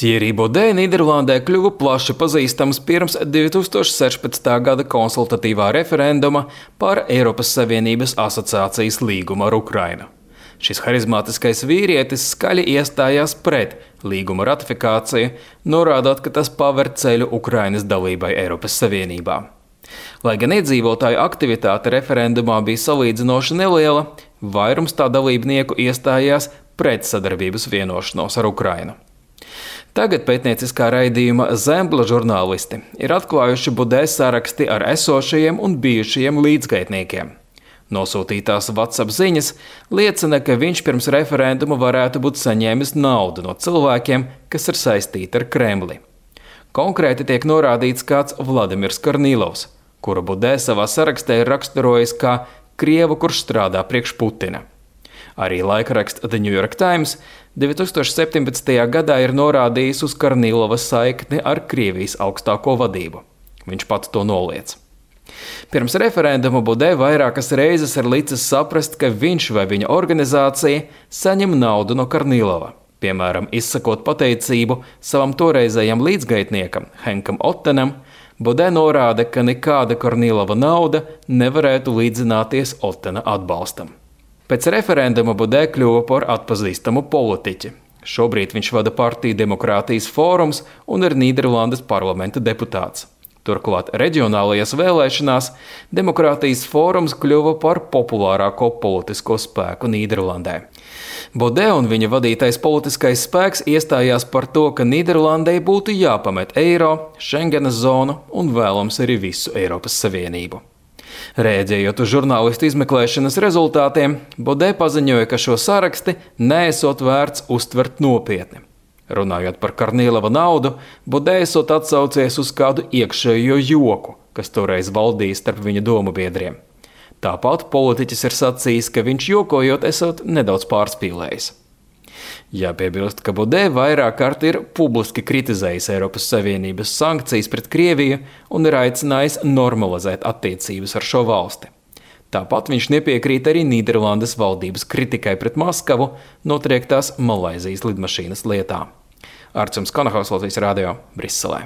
Thierry Baudet Nīderlandē kļuva plaši pazīstams pirms 2016. gada konsultatīvā referenduma par Eiropas Savienības asociācijas līgumu ar Ukrainu. Šis harizmātiskais vīrietis skaļi iestājās pret līguma ratifikāciju, norādot, ka tas paver ceļu Ukrainas dalībai Eiropas Savienībā. Lai gan iedzīvotāju aktivitāte referendumā bija salīdzinoši neliela, vairums tā dalībnieku iestājās pret sadarbības vienošanos ar Ukrainu. Tagad pētnieciskā raidījuma Zembla žurnālisti ir atklājuši Baudet saraksti ar esošajiem un bijušajiem līdzgaitniekiem. Nosūtītās WhatsApp ziņas liecina, ka viņš pirms referenduma varētu būt saņēmis naudu no cilvēkiem, kas ir saistīti ar Kremli. Konkrēti tiek norādīts kāds Vladimirs Kornīlovs, kuru Baudet savā sarakstā ir raksturojis kā krievu, kurš strādā priekš Putina. Arī laikraksts The New York Times 2017. gadā ir norādījis uz Kornīlova saikni ar Krievijas augstāko vadību. Viņš pats to noliedz. Pirms referenduma Baudet vairākas reizes ir licis saprast, ka viņš vai viņa organizācija saņem naudu no Kornīlova. Piemēram, izsakot pateicību savam toreizējam līdzgaitniekam Henkam Ottenam, Baudet norāda, ka nekāda Kornīlova nauda nevarētu līdzināties Ottena atbalstam. Pēc referenduma Baudet kļuva par atpazīstamu politiķi. Šobrīd viņš vada partiju Demokrātijas fórums un ir Nīderlandes parlamenta deputāts. Turklāt reģionālajās vēlēšanās Demokrātijas fórums kļuva par populārāko politisko spēku Nīderlandē. Baudet un viņa vadītais politiskais spēks iestājās par to, ka Nīderlandei būtu jāpamet eiro, Schengenas zonu un vēlams arī visu Eiropas Savienību. Rēģējot uz žurnālistu izmeklēšanas rezultātiem, Baudet paziņoja, ka šo saraksti neesot vērts uztvert nopietni. Runājot par Kornīlova naudu, Baudet esot atsaucies uz kādu iekšējo joku, kas toreiz valdīja starp viņa domu biedriem. Tāpat politiķis ir sacījis, ka viņš jokojot esot nedaudz pārspīlējis. Jāpiebilst, ka Baudet vairāk kārt ir publiski kritizējis Eiropas Savienības sankcijas pret Krieviju un ir aicinājis normalizēt attiecības ar šo valsti. Tāpat viņš nepiekrīt arī Nīderlandes valdības kritikai pret Maskavu notriektās Malaizijas lidmašīnas lietā. Arčuns Kanahaus, Latvijas radio, Briselē.